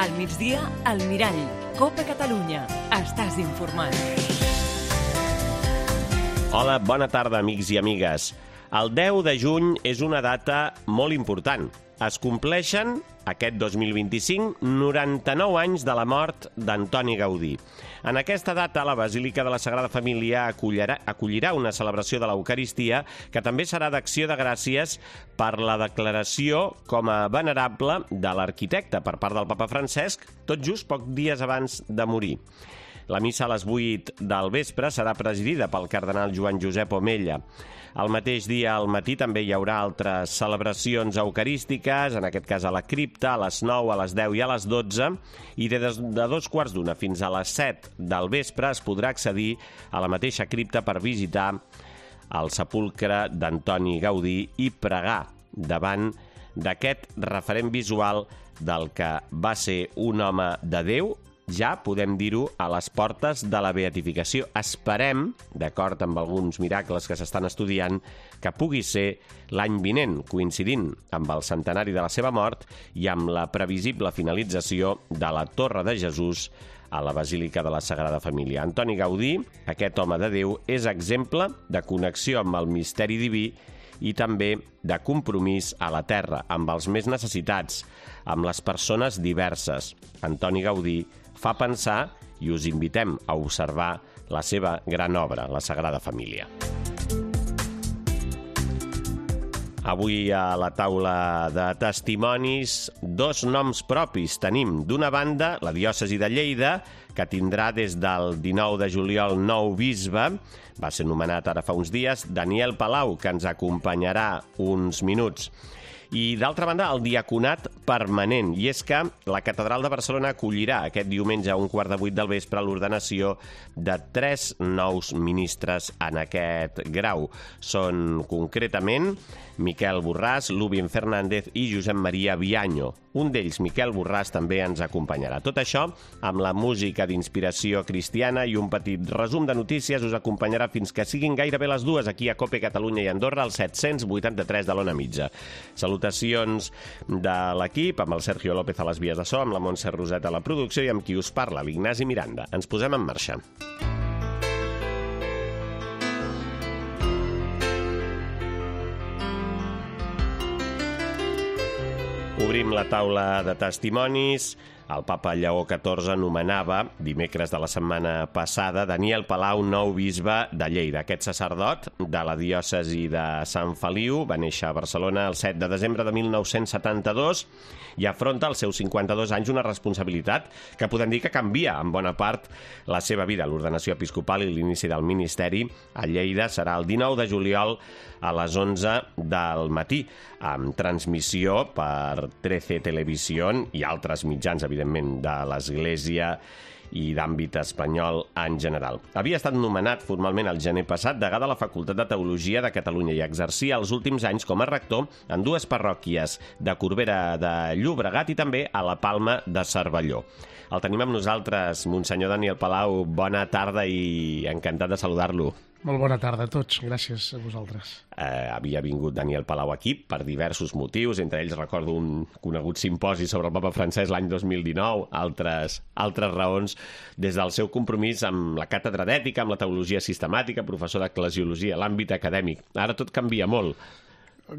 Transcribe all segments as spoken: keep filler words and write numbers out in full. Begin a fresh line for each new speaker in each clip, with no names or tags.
Al migdia, al Mirall. Copa Catalunya. Estàs informat.
Hola, bona tarda, amics i amigues. El deu de juny és una data molt important. Es compleixen, aquest dos mil vint-i-cinc, noranta-nou anys de la mort d'Antoni Gaudí. En aquesta data, la Basílica de la Sagrada Família acollirà, acollirà una celebració de l'Eucaristia que també serà d'acció de gràcies per la declaració com a venerable de l'arquitecte per part del papa Francesc, tot just pocs dies abans de morir. La missa a les vuit del vespre serà presidida pel cardenal Joan Josep Omella. El mateix dia al matí també hi haurà altres celebracions eucarístiques, en aquest cas a la cripta, a les nou, a les deu i a les dotze, i de, de dos quarts d'una fins a les set del vespre es podrà accedir a la mateixa cripta per visitar el sepulcre d'Antoni Gaudí i pregar davant d'aquest referent visual del que va ser un home de Déu, ja podem dir-ho, a les portes de la beatificació. Esperem, d'acord amb alguns miracles que s'estan estudiant, que pugui ser l'any vinent, coincidint amb el centenari de la seva mort i amb la previsible finalització de la Torre de Jesús a la Basílica de la Sagrada Família. Antoni Gaudí, aquest home de Déu, és exemple de connexió amb el misteri diví i també de compromís a la terra, amb els més necessitats, amb les persones diverses. Antoni Gaudí fa pensar i us invitem a observar la seva gran obra, la Sagrada Família. Avui a la taula de testimonis, dos noms propis tenim. D'una banda, la diòcesi de Lleida, que tindrà des del dinou de juliol nou bisbe, va ser nomenat ara fa uns dies, Daniel Palau, que ens acompanyarà uns minuts. I, d'altra banda, el diaconat permanent. I és que la Catedral de Barcelona acollirà aquest diumenge a un quart de vuit del vespre l'ordenació de tres nous ministres en aquest grau. Són, concretament, Miquel Borràs, Lúbin Fernández i Josep Maria Vianyo. Un d'ells, Miquel Borràs, també ens acompanyarà. Tot això amb la música d'inspiració cristiana i un petit resum de notícies us acompanyarà fins que siguin gairebé les dues aquí a Cope Catalunya i Andorra, al set-cents vuitanta-tres de l'Ona Mitja. Salutacions de l'equip, amb el Sergio López a les vies de so, amb la Montse Roset a la producció i amb qui us parla, l'Ignasi Miranda. Ens posem en marxa. Obrim la taula de testimonis. El papa Lleó catorze nomenava, dimecres de la setmana passada, Daniel Palau, nou bisbe de Lleida. Aquest sacerdot de la diòcesi de Sant Feliu va néixer a Barcelona el set de desembre de mil nou-cents setanta-dos i afronta als seus cinquanta-dos anys una responsabilitat que podem dir que canvia en bona part la seva vida. L'ordenació episcopal i l'inici del ministeri a Lleida serà el dinou de juliol a les onze del matí, amb transmissió per trece Televisión i altres mitjans, evidentment, de l'Església i d'àmbit espanyol en general. Havia estat nomenat formalment el gener passat degà de la Facultat de Teologia de Catalunya i exercia els últims anys com a rector en dues parròquies de Corbera de Llobregat i també a la Palma de Cervelló. El tenim amb nosaltres, Monsenyor Daniel Palau. Bona tarda i encantat de saludar-lo.
Molt bona tarda a tots, gràcies a vosaltres.
Eh, havia vingut Daniel Palau aquí per diversos motius, entre ells recordo un conegut simposi sobre el papa Francesc l'any dos mil dinou, altres, altres raons, des del seu compromís amb la càtedra d'ètica, amb la teologia sistemàtica, professor d'eclesiologia, l'àmbit acadèmic. Ara tot canvia molt.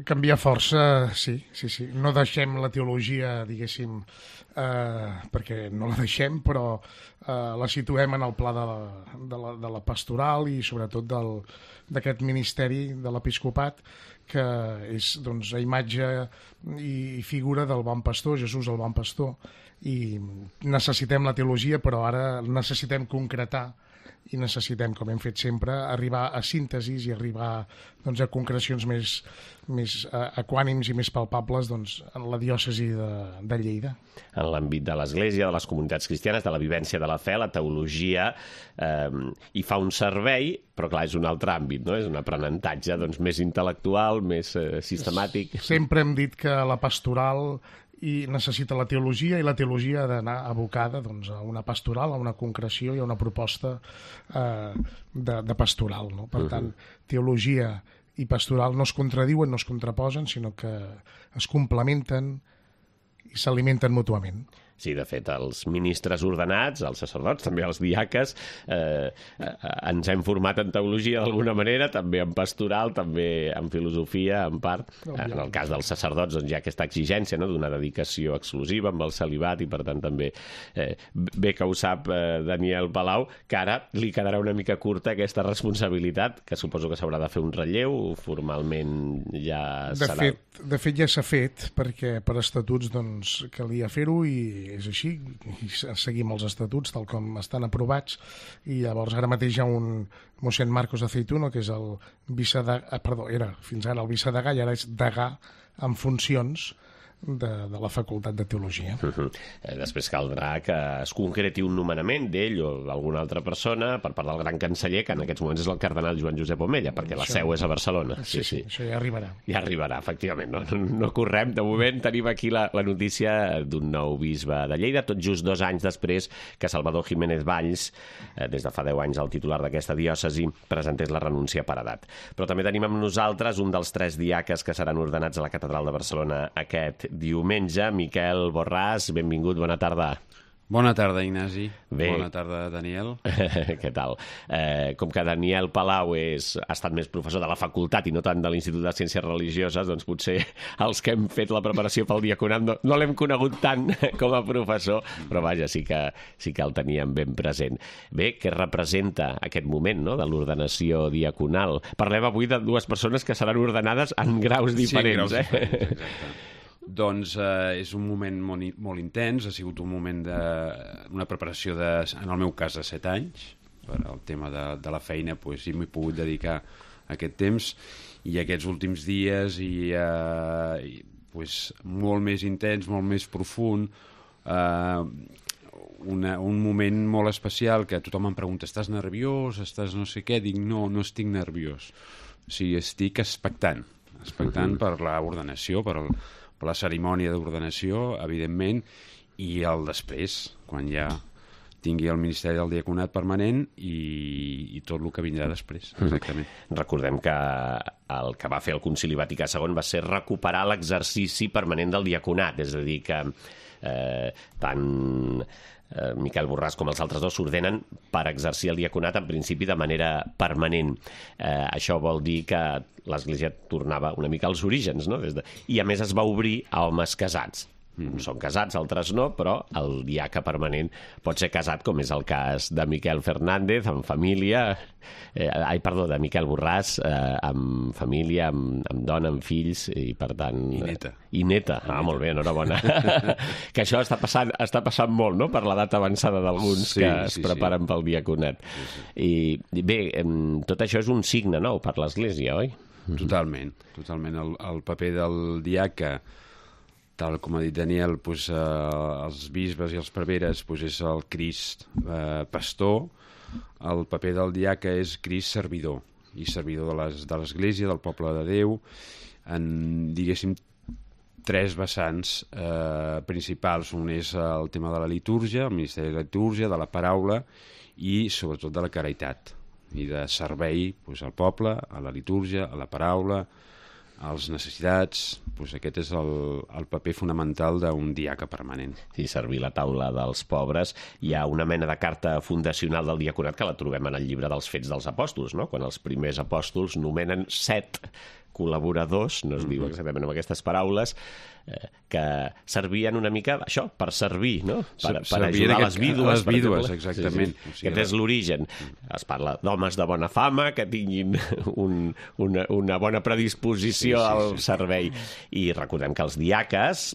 Canvia força, sí, sí, sí. No deixem la teologia, diguéssim, eh, perquè no la deixem, però eh, la situem en el pla de la, de la, de la pastoral i sobretot del, d'aquest ministeri de l'episcopat, que és, doncs, a imatge i figura del bon pastor, Jesús el bon pastor. I necessitem la teologia, però ara necessitem concretar i necessitem, com hem fet sempre, arribar a síntesis i arribar, doncs, a concrecions més, més uh, equànims i més palpables, doncs, en la diòcesi de, de Lleida.
En l'àmbit de l'Església, de les comunitats cristianes, de la vivència de la fe, la teologia eh, hi fa un servei, però clar, és un altre àmbit, no? És un aprenentatge, doncs, més intel·lectual, més eh, sistemàtic.
Sempre hem dit que la pastoral i necessita la teologia, i la teologia ha d'anar abocada, doncs, a una pastoral, a una concreció i a una proposta eh, de, de pastoral, no? Per tant, teologia i pastoral no es contradiuen, no es contraposen, sinó que es complementen i s'alimenten mútuament.
Sí, de fet, els ministres ordenats, els sacerdots, també els diaques, eh, eh, ens hem format en teologia d'alguna manera, també en pastoral, també en filosofia, en part. En el cas dels sacerdots doncs, hi ha aquesta exigència, no?, d'una dedicació exclusiva amb el celibat i, per tant, també eh, bé que ho sap eh, Daniel Palau, que ara li quedarà una mica curta aquesta responsabilitat, que suposo que s'haurà de fer un relleu, formalment ja
de
serà...
Fet, de fet, ja s'ha fet, perquè per estatuts doncs, calia fer-ho i és així, i seguim els estatuts tal com estan aprovats, i llavors ara mateix hi ha un mossèn Marcos Aceituno, que és el vicedegà, perdó, era fins ara el vicedegà i ara és degà en funcions de, de la Facultat de Teologia.
Uh-huh. Després caldrà que es concreti un nomenament d'ell o d'alguna altra persona per part del gran canceller, que en aquests moments és el cardenal Joan Josep Omella, perquè la seu és a Barcelona.
Sí, sí, sí, això ja arribarà.
Ja arribarà, efectivament. No, no, no correm. De moment tenim aquí la, la notícia d'un nou bisbe de Lleida, tot just dos anys després que Salvador Jiménez Valls, eh, des de fa deu anys el titular d'aquesta diòcesi, presentés la renúncia per edat. Però també tenim amb nosaltres un dels tres diaques que seran ordenats a la Catedral de Barcelona aquest diumenge. Miquel Borràs, benvingut, bona tarda.
Bona tarda, Ignasi.
Bé.
Bona tarda, Daniel.
Què tal? Eh, com que Daniel Palau és, ha estat més professor de la facultat i no tant de l'Institut de Ciències Religioses, doncs potser els que hem fet la preparació pel diaconat no, no l'hem conegut tant com a professor, però vaja, sí que, sí que el teníem ben present. Bé, què representa aquest moment, no?, de l'ordenació diaconal? Parlem avui de dues persones que seran ordenades en graus diferents.
Sí, en graus
eh?
diferents, exacte. Doncs eh, és un moment molt, molt intens, ha sigut un moment de, una preparació, de, en el meu cas, de set anys, per al tema de, de la feina, doncs, i m'he pogut dedicar a aquest temps, i aquests últims dies, i, eh, i doncs, molt més intens, molt més profund, eh, una, un moment molt especial que tothom em pregunta, estàs nerviós, estàs no sé què? Dic, no, no estic nerviós, o sigui, estic expectant, expectant per l'ordenació, per el per la cerimònia d'ordenació, evidentment, i el després, quan ja tingui el Ministeri del Diaconat permanent i, i tot el que vindrà després, exactament.
Mm. Recordem que el que va fer el Concili Vaticà segon va ser recuperar l'exercici permanent del diaconat, és a dir, que eh, tant eh, Miquel Borràs com els altres dos s'ordenen per exercir el diaconat en principi de manera permanent. Eh, això vol dir que l'Església tornava una mica als orígens, no? Des de... I a més es va obrir a homes casats. Mm. Són casats, altres no, però el diaca permanent pot ser casat, com és el cas de Miquel Fernández, amb família, eh, ai, perdó, de Miquel Borràs, eh, amb família, amb, amb dona, amb fills, i per tant...
I neta.
I neta, ah, molt bé, enhorabona. Que això està passant, està passant molt, no?, per l'edat avançada d'alguns sí, que es sí, preparen sí. pel diaconat. Sí, sí. I bé, tot això és un signe nou per l'Església, oi?
Totalment, totalment. El, el paper del diaca, tal com ha dit Daniel, doncs, eh, els bisbes i els preveres doncs, és el Crist eh, pastor, el paper del diaca és Crist servidor, i servidor de les, de l'Església, del poble de Déu, en, diguéssim, tres vessants eh, principals. Un és el tema de la litúrgia, el ministeri de la litúrgia, de la paraula i, sobretot, de la caritat i de servei doncs, al poble, a la litúrgia, a la paraula, a les necessitats. Doncs aquest és el, el paper fonamental d'un diaca permanent.
Sí, servir la taula dels pobres. Hi ha una mena de carta fundacional del diaconat que la trobem en el llibre dels Fets dels Apòstols, no?, quan els primers apòstols nomenen set col·laboradors, no es diu exactament amb aquestes paraules, eh, que servien una mica això, per servir, no? Per, per ajudar
aquest,
les vídues.
Les vídues, exactament.
Sí, sí. O sigui, aquest és l'origen. Es parla d'homes de bona fama, que tinguin un, una, una bona predisposició sí, sí, al sí. servei. I recordem que els diaques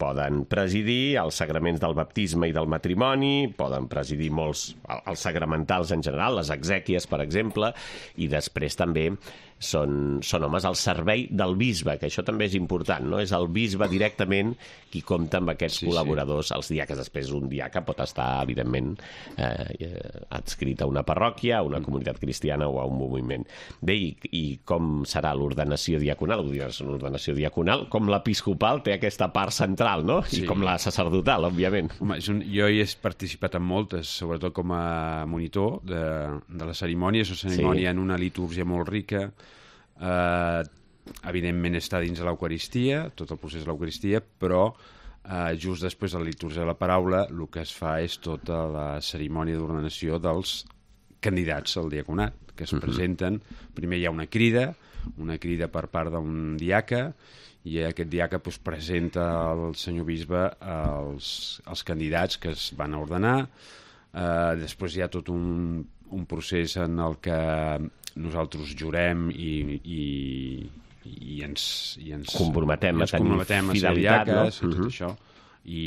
poden presidir els sagraments del baptisme i del matrimoni, poden presidir molts, els sagramentals en general, les exèquies, per exemple, i després també són, són homes al servei del bisbe, que això també és important, no? És el bisbe directament qui compta amb aquests sí, col·laboradors, sí. Els diaques. Després un diaca pot estar, evidentment, eh, adscrit a una parròquia, a una comunitat cristiana o a un moviment. Bé, i, i com serà l'ordenació diaconal? L'ordenació diaconal, com l'episcopal, té aquesta part central, no? Sí. I com la sacerdotal, òbviament.
Home, un, jo hi he participat en moltes, sobretot com a monitor de, de la cerimònia. És una cerimònia sí. en una litúrgia molt rica. Uh, evidentment està dins de l'Eucaristia, tot el procés de l'Eucaristia, però Uh, just després de la litúrgia de la paraula, el que es fa és tota la cerimònia d'ordenació dels candidats al diaconat, que es uh-huh. presenten. Primer hi ha una crida, una crida per part d'un diaca, i aquest diaca pues, presenta al senyor bisbe els, els candidats que es van a ordenar. Uh, després hi ha tot un, un procés en el que nosaltres jurem i... i i ens, i ens
comprometem
i ens
a tenir
comprometem
fidelitat,
a ser diaques,
no?
i tot uh-huh. això, i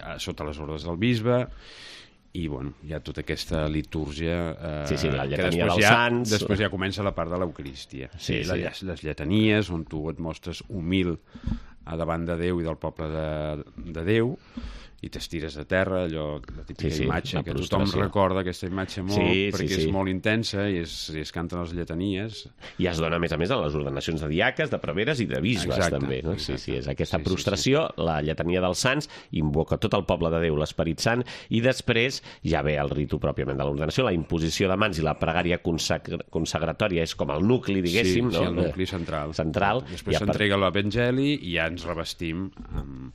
a, sota les ordres del bisbe, i bueno, hi ha tota aquesta litúrgia eh,
sí, sí, la
que
lletania
després
dels
ja,
sants.
després ja comença la part de l'Eucarístia,
sí, sí.
Les, les lletanies, on tu et mostres humil a davant de Déu i del poble de, de Déu, i t'estires a terra, allò, la típica
sí, sí,
imatge, que tothom recorda aquesta imatge molt,
sí,
perquè
sí, sí.
és molt intensa i es, i es canten les lletanies.
I es dona, a més a més, a les ordenacions de diaques, de preveres i de bisbes,
exacte,
també. No?
Exacte.
Sí, sí, és aquesta
sí,
prostració,
sí, sí.
la lletania dels sants, invoca tot el poble de Déu, l'Esperit Sant, i després ja ve el ritu pròpiament de l'ordenació, la imposició de mans i la pregària consagra consagratòria és com el nucli, diguéssim.
Sí,
no?
sí, el nucli central.
central
Després
ja
s'entrega
per...
l'Evangeli i ja ens revestim amb,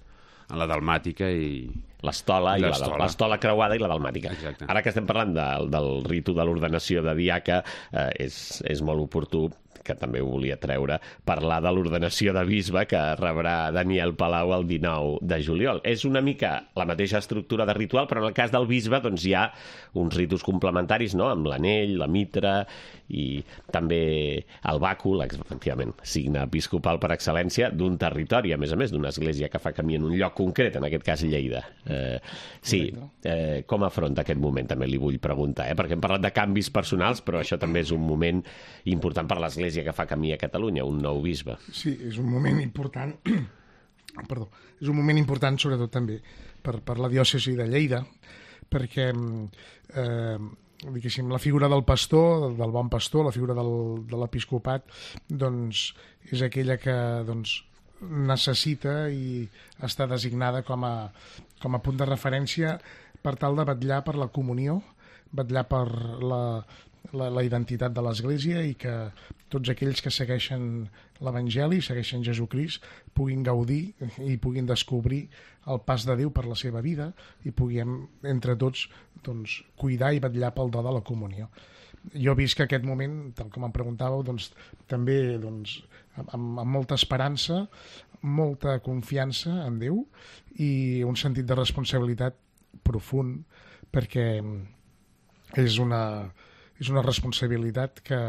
amb la dalmàtica i...
l'estola i l'estola creuada i la dalmàtica.
Exacte.
Ara que estem parlant de, del ritu de l'ordenació de diaca, eh, és, és molt oportú, que també ho volia treure, parlar de l'ordenació de bisbe que rebrà Daniel Palau el dinou de juliol. És una mica la mateixa estructura de ritual, però en el cas del bisbe doncs, hi ha uns ritus complementaris, no?, amb l'anell, la mitra i també el bàcul, efectivament, signe episcopal per excel·lència d'un territori, a més a més, d'una església que fa camí en un lloc concret, en aquest cas Lleida. Eh, sí, eh, com afronta aquest moment, també li vull preguntar, eh? Perquè hem parlat de canvis personals, però això també és un moment important per l'Església que fa camí a Catalunya, un nou bisbe.
Sí, és un moment important, perdó, és un moment important sobretot també per, per la diòcesi de Lleida, perquè eh, diguéssim, la figura del pastor, del bon pastor, la figura del, de l'episcopat, doncs és aquella que doncs, necessita i està designada com a, com a punt de referència per tal de vetllar per la comunió, vetllar per la, la, la identitat de l'Església i que tots aquells que segueixen l'Evangeli, segueixen Jesucrist, puguin gaudir i puguin descobrir el pas de Déu per la seva vida i puguem, entre tots, doncs, cuidar i vetllar pel do de la comunió. Jo visc que aquest moment, tal com em preguntàveu, doncs, també doncs, amb, amb molta esperança, molta confiança en Déu i un sentit de responsabilitat profund, perquè és una, és una responsabilitat que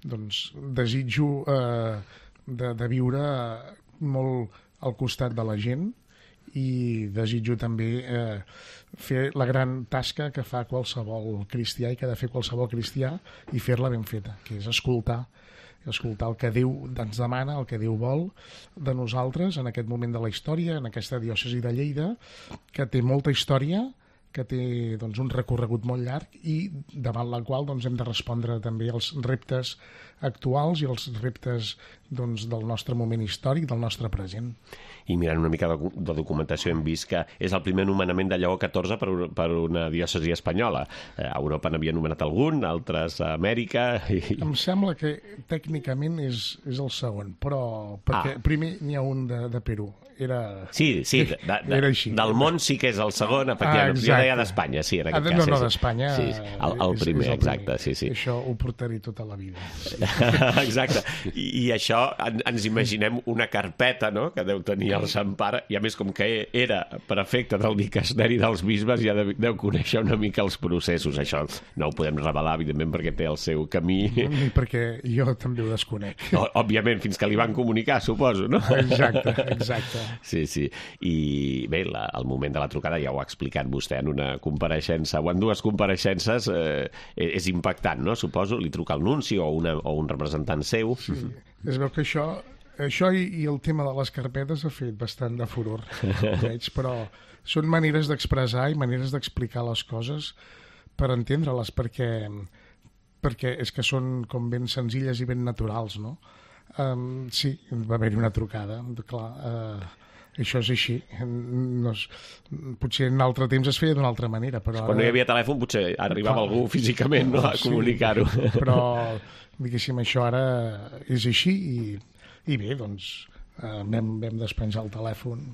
doncs, desitjo eh, de, de viure molt al costat de la gent i desitjo també eh, fer la gran tasca que fa qualsevol cristià i que ha de fer qualsevol cristià i fer-la ben feta, que és escoltar escoltar el que Déu ens demana, el que Déu vol de nosaltres en aquest moment de la història, en aquesta diòcesi de Lleida, que té molta història, que té doncs, un recorregut molt llarg i davant la qual doncs, hem de respondre també als reptes actuals i als reptes doncs, del nostre moment històric, del nostre present.
I mirant una mica de, de documentació hem vist que és el primer nomenament de Lleó catorze per, per una diòcesi espanyola. A Europa n'havia nomenat algun, altres a Amèrica... I...
Em sembla que tècnicament és, és el segon, però perquè ah. primer n'hi ha un de, de Perú. Era...
Sí, sí, de, de,
era així.
Del món sí que és el segon, efectivament. Ah, jo deia d'Espanya, sí, en aquest
ah,
cas.
No, no,
sí,
d'Espanya
sí, sí. El, el primer, és, és el exacte, primer. sí, sí.
Això ho portaré tota la vida. Sí.
Exacte. I, I això en, ens imaginem una carpeta, no?, que deu tenir el Sant Pare, i a més com que era prefecte del dicasteri dels bisbes, ja deu, deu conèixer una mica els processos. Això no ho podem revelar, evidentment, perquè té el seu camí.
Ni perquè jo també ho desconec.
No, òbviament, fins que li van comunicar, suposo, no?
Exacte, exacte.
Sí, sí. I bé, la, el moment de la trucada ja ho ha explicat vostè en una compareixença, o en dues compareixences, eh, és impactant, no? Suposo, li truca el nunci o, una, o un representant seu.
Sí, es veu que això, això i, i el tema de les carpetes ha fet bastant de furor, veig, però són maneres d'expressar i maneres d'explicar les coses per entendre-les, perquè, perquè és que són com ben senzilles i ben naturals, no? Um, sí, va haver-hi una trucada, clar, uh, això és així. No és, potser en altre temps es feia d'una altra manera, però
quan
ara...
no hi havia telèfon potser arribava clar, algú físicament, no, a
sí,
comunicar-ho.
Però, diguéssim, això ara és així i, i bé, doncs, eh, vam, vam despenjar el telèfon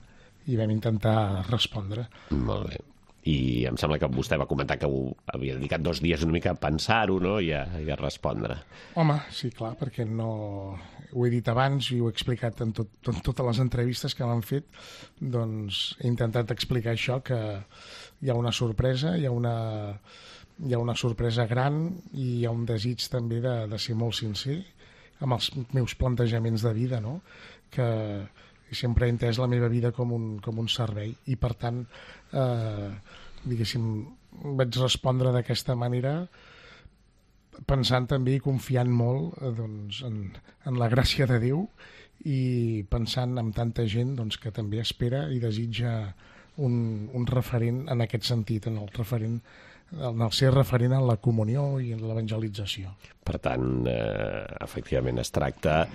i vam intentar respondre.
Molt bé. I em sembla que vostè va comentar que ho havia dedicat dos dies una mica a pensar-ho, no?, i a, i a respondre.
Home, sí, clar, perquè no... Ho he dit abans i ho he explicat en, tot, en totes les entrevistes que m'han fet, doncs he intentat explicar això, que hi ha una sorpresa, hi ha una, hi ha una sorpresa gran i hi ha un desig també de, de ser molt sincer amb els meus plantejaments de vida, no?, que sempre he entès la meva vida com un, com un servei i, per tant, eh, diguéssim, vaig respondre d'aquesta manera pensant també i confiant molt eh, doncs, en, en la gràcia de Déu i pensant en tanta gent doncs, que també espera i desitja un, un referent en aquest sentit, en el referent en el ser referent en la comunió i en l'evangelització.
Per tant, eh, efectivament, es tracta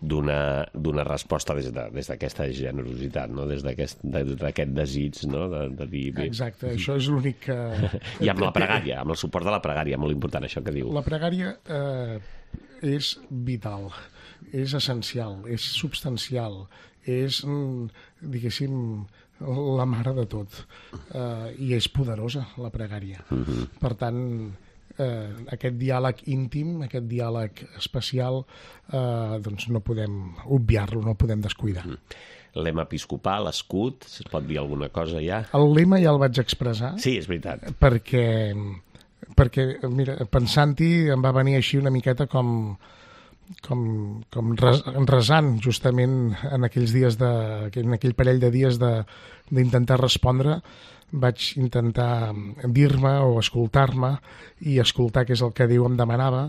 d'una d'una resposta des de, des d'aquesta generositat, no?, des d'aquest d'aquest desig, no?, de, de dir... Bé.
Exacte, això és l'únic que...
I amb la pregària, amb el suport de la pregària, molt important això que diu.
La pregària eh, és vital, és essencial, és substancial, és, diguéssim, la mare de tot, eh, i és poderosa la pregària. Uh-huh. Per tant, eh, aquest diàleg íntim, aquest diàleg especial, eh, doncs no podem obviar-lo, no el podem descuidar. Uh-huh.
Lema episcopal, escut, es pot dir alguna cosa ja?
El lema ja el vaig expressar.
Sí, és veritat.
Perquè, perquè mira, pensant-hi em va venir així una miqueta com... com, com resant justament en aquells dies de, en aquell parell de dies d'intentar respondre, vaig intentar dir-me o escoltar-me i escoltar què és el que Déu em demanava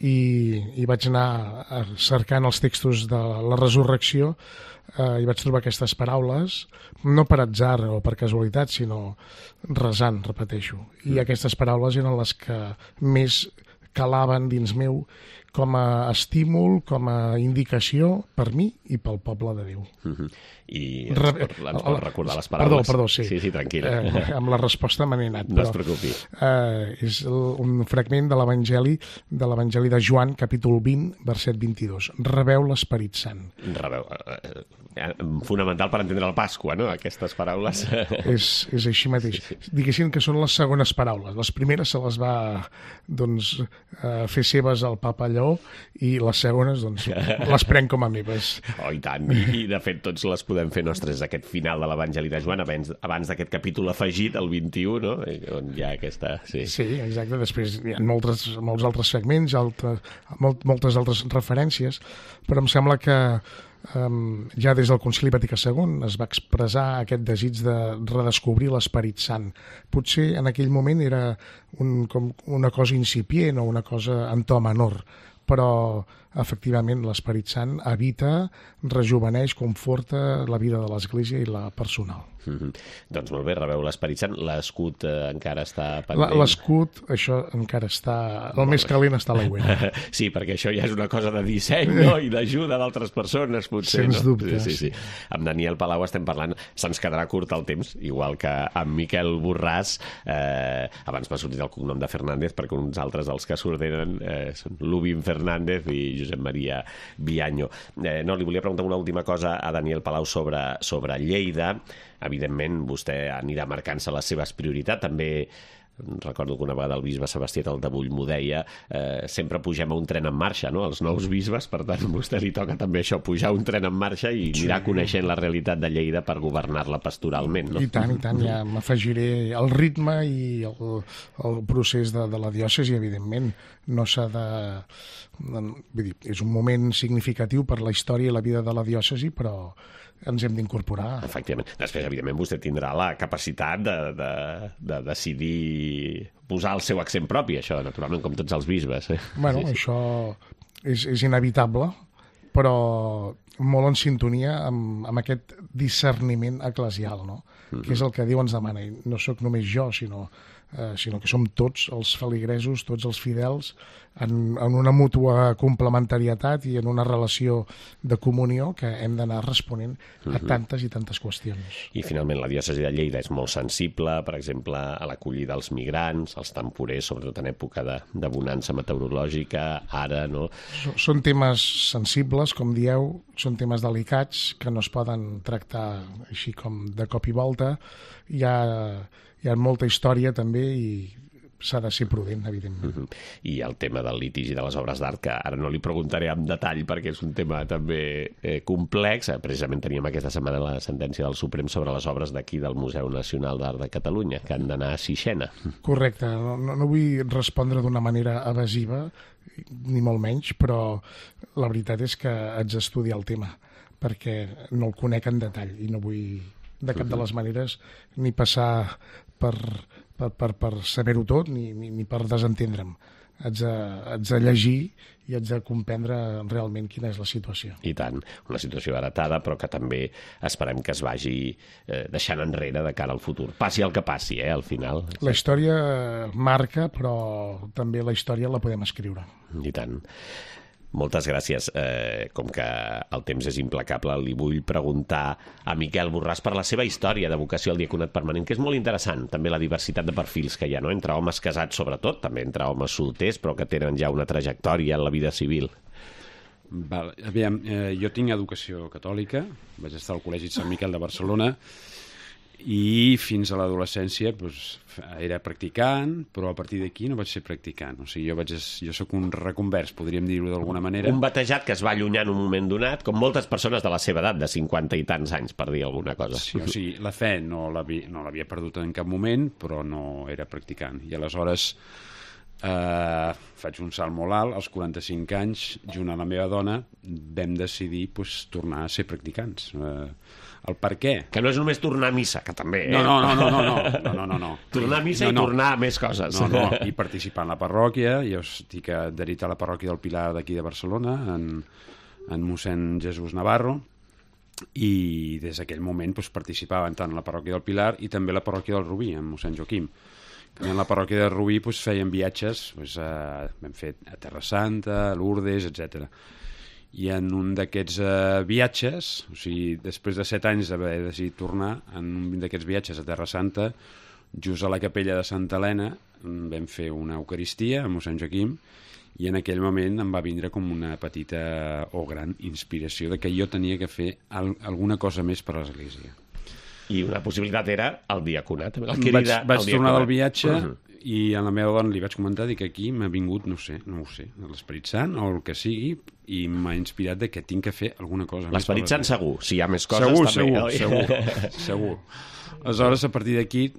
i, i vaig anar cercant els textos de la resurrecció eh, i vaig trobar aquestes paraules, no per atzar o per casualitat, sinó resant, repeteixo. I aquestes paraules eren les que més calaven dins meu com a estímul, com a indicació per mi i pel poble de Déu.
Uh-huh. I ens, Re... pot, ens pot recordar les paraules?
Perdó, perdó, sí.
Sí, sí, tranquil·la.
Eh, amb la resposta me n'he anat.
No però, es preocupi.
Eh, és un fragment de l'Evangeli de l'Evangeli de Joan, capítol vint, verset vint-i-dos. Rebeu l'Esperit Sant.
Rebeu. Eh, fonamental per entendre la Pasqua, no?, aquestes paraules.
És, és així mateix. Sí, sí. Diguéssim que són les segones paraules. Les primeres se les va doncs, eh, fer seves al papa Lleó i les segones doncs, les prenc com a meves.
Oh, i tant. I, i de fet tots les podem fer nostres aquest final de l'Evangeli de Joan abans, abans d'aquest capítol afegit, el vint-i-u, no?, on hi ha aquesta... Sí,
sí, exacte. Després hi ha moltes, molts altres segments, altres, molt, moltes altres referències, però em sembla que Um, ja des del Concili Vaticà segon es va expressar aquest desig de redescobrir l'Esperit Sant. Potser en aquell moment era un, com una cosa incipient o una cosa en to menor, però efectivament l'Esperit Sant habita, rejuveneix, conforta la vida de l'Església i la personal.
Mm-hmm. Doncs molt bé, rebeu l'Esperit Sant. L'escut eh, encara està pendent?
L'escut, això encara està... El més calent està a l'aigüera.
Sí, perquè això ja és una cosa de disseny, no?, i d'ajuda d'altres persones, potser.
Sens
no?
dubte.
Sí, sí, sí. Amb Daniel Palau estem parlant, se'ns quedarà curt el temps, igual que amb Miquel Borràs. Eh, abans m'ha sortit el cognom de Fernández, perquè uns altres dels que s'ordenen eh, són Lubin Fernández i Josep Maria Vianyo. Eh, no, li volia preguntar una última cosa a Daniel Palau sobre, sobre Lleida. Evidentment, vostè anirà marcant-se les seves prioritats. També recordo que una vegada el bisbe Sebastià Taltabull m'ho deia, eh, sempre pugem a un tren en marxa, no?, els nous bisbes, per tant a vostè li toca també això, pujar un tren en marxa i anirà sí. coneixent la realitat de Lleida per governar-la pastoralment, no?
I tant, i tant, ja m'afegiré el ritme i el, el procés de, de la diòcesi, evidentment. No s'ha de... Vull dir, és un moment significatiu per la història i la vida de la diòcesi, però ens hem d'incorporar.
Efectivament. Després, evidentment, vostè tindrà la capacitat de, de, de decidir posar el seu accent propi, això, naturalment, com tots els bisbes. Eh?
Bueno, sí, sí. Això és, és inevitable, però molt en sintonia amb, amb aquest discerniment eclesial, no? Mm-hmm. Que és el que Déu ens demana. I no sóc només jo, sinó, eh, sinó que som tots els feligresos, tots els fidels, en, en una mútua complementarietat i en una relació de comunió que hem d'anar responent a tantes i tantes qüestions.
I finalment la diòcesi de Lleida és molt sensible, per exemple, a l'acollida dels migrants, als temporers, sobretot en època de, de bonança meteorològica, ara, no?
Són temes sensibles, com dieu, són temes delicats que no es poden tractar així com de cop i volta. Hi ha, hi ha molta història també i s'ha de ser prudent, evidentment.
Uh-huh. I el tema del litigi de les obres d'art, que ara no li preguntaré en detall perquè és un tema també eh, complex. Precisament teníem aquesta setmana la sentència del Suprem sobre les obres d'aquí del Museu Nacional d'Art de Catalunya, que han d'anar a Sixena.
Correcte. No, no, no vull respondre d'una manera evasiva, ni molt menys, però la veritat és que haig d'estudiar el tema, perquè no el conec en detall i no vull de cap de les maneres ni passar per... per, per, per saber-ho tot ni, ni, ni per desentendre'm. Haig de, haig de llegir i haig de comprendre realment quina és la situació.
I tant, una situació heretada, però que també esperem que es vagi eh, deixant enrere de cara al futur. Passi el que passi, eh, al final.
La història marca, però també la història la podem escriure.
I tant. Moltes gràcies. Eh, com que el temps és implacable, li vull preguntar a Miquel Borràs per la seva història de vocació al diaconat permanent, que és molt interessant, també la diversitat de perfils que hi ha, no? Entre homes casats sobretot, també entre homes solters, però que tenen ja una trajectòria en la vida civil.
Val, aviam, eh, jo tinc educació catòlica, vaig estar al Col·legi Sant Miquel de Barcelona, i fins a l'adolescència doncs, era practicant, però a partir d'aquí no vaig ser practicant. O sigui, jo, vaig, jo soc un reconvers, podríem dir-ho d'alguna manera.
Un batejat que es va allunyar en un moment donat, com moltes persones de la seva edat, de cinquanta i tants anys, per dir alguna cosa.
Sí, o sigui, la fe no l'havia no l'havia perdut en cap moment, però no era practicant. I aleshores eh, faig un salt molt alt, als quaranta-cinc anys, junt a la meva dona, vam decidir pues, tornar a ser practicants. Eh, El per què?
Que no és només tornar a missa, que també, eh?
No, no, no, no, no, no, no, no, no.
Tornar a missa
no,
no. I tornar a més coses.
No, no, i participar en la parròquia. Jo estic adherit a la parròquia del Pilar d'aquí de Barcelona, en, en mossèn Jesús Navarro, i des d'aquell moment doncs, participava tant en la parròquia del Pilar i també a la parròquia del Rubí, en mossèn Joaquim. En la parròquia del Rubí doncs, feien viatges, doncs, a, vam fer a Terra Santa, a Lourdes, etcètera. I en un d'aquests uh, viatges, o sigui, després de set anys d'haver decidit tornar, en un d'aquests viatges a Terra Santa, just a la capella de Santa Helena, vam fer una eucaristia a mossèn Joaquim, i en aquell moment em va vindre com una petita o gran inspiració de que jo tenia que fer al alguna cosa més per a l'Església.
I una possibilitat era el diaconat. El
vaig vaig tornar diaconat. Del viatge uh -huh. i a la meva dona li vaig comentar que aquí m'ha vingut, no sé, no ho sé, l'Esperit Sant o el que sigui, i m'ha inspirat de que tinc que fer alguna cosa.
L'Esperit Sant segur, si hi ha més coses
segur,
també.
Segur, segur, segur. Aleshores, a partir d'aquí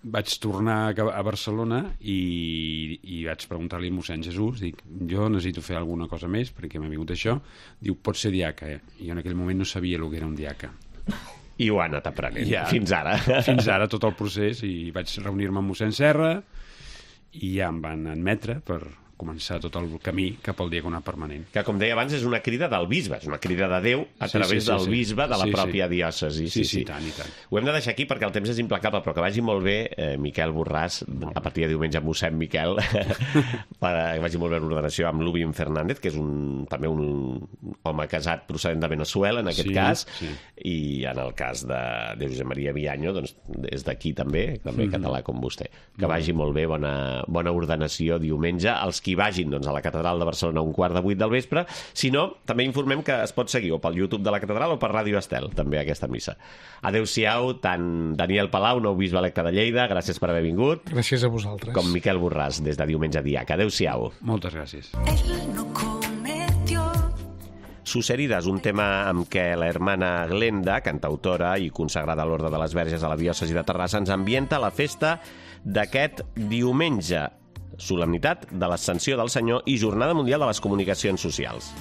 vaig tornar a Barcelona i, i vaig preguntar-li a mossèn Jesús, dic, jo necessito fer alguna cosa més perquè m'ha vingut això. Diu, pots ser diaca, eh? I jo en aquell moment no sabia el que era un diaca.
I ho ha anat aprenent, ja, fins ara.
Fins ara, tot el procés, i vaig reunir-me amb mossèn Serra i ja em van admetre per començar tot el camí cap al diaconat permanent.
Que, com deia abans, és una crida del bisbe, és una crida de Déu a sí, través sí, sí, del bisbe de la sí, pròpia sí. diòcesi.
Sí, sí, sí, tant i tant.
Ho hem de deixar aquí perquè el temps és implacable, però que vagi molt bé eh, Miquel Borràs, a partir de diumenge amb mossèn Miquel, que vagi molt bé l'ordenació amb Lubin Fernández, que és un, també un home casat procedent de Venezuela, en aquest
sí,
cas,
sí.
i en el cas de, de Josep Maria Villaño, doncs és d'aquí també, també mm-hmm. català com vostè. Que vagi molt bé, bona, bona ordenació diumenge. Els qui vagin doncs, a la Catedral de Barcelona a un quart de vuit del vespre. Si no, també informem que es pot seguir o pel YouTube de la Catedral o per Ràdio Estel, també aquesta missa. Adéu-siau, tant Daniel Palau, nou bisbe electe de Lleida, gràcies per haver vingut.
Gràcies a vosaltres.
Com Miquel Borràs, des de diumenge diaca. Adéu-siau.
Moltes gràcies.
Sus heridas, un tema amb què la hermana Glenda, cantautora i consagrada a l'Orde de les Verges a la diòcesi de Terrassa, ens ambienta la festa d'aquest diumenge, solemnitat de l'Ascensió del Senyor i Jornada Mundial de les Comunicacions Socials.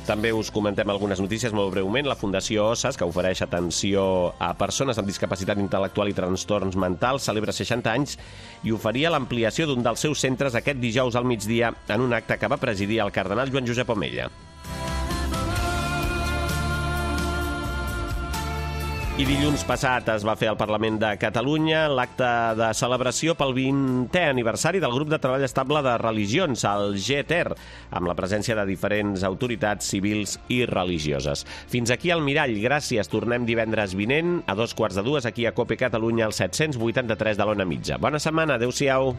També us comentem algunes notícies molt breument. La Fundació Osses, que ofereix atenció a persones amb discapacitat intel·lectual i trastorns mentals, celebra seixanta anys i oferia l'ampliació d'un dels seus centres aquest dijous al migdia en un acte que va presidir el cardenal Joan Josep Omella. I dilluns passat es va fer al Parlament de Catalunya l'acte de celebració pel vintè aniversari del grup de treball estable de religions, el G T E R, amb la presència de diferents autoritats civils i religioses. Fins aquí el Mirall. Gràcies. Tornem divendres vinent a dos quarts de dues aquí a COPE Catalunya, al set-cents vuitanta-tres de l'Ona Mitja. Bona setmana. Adéu-siau.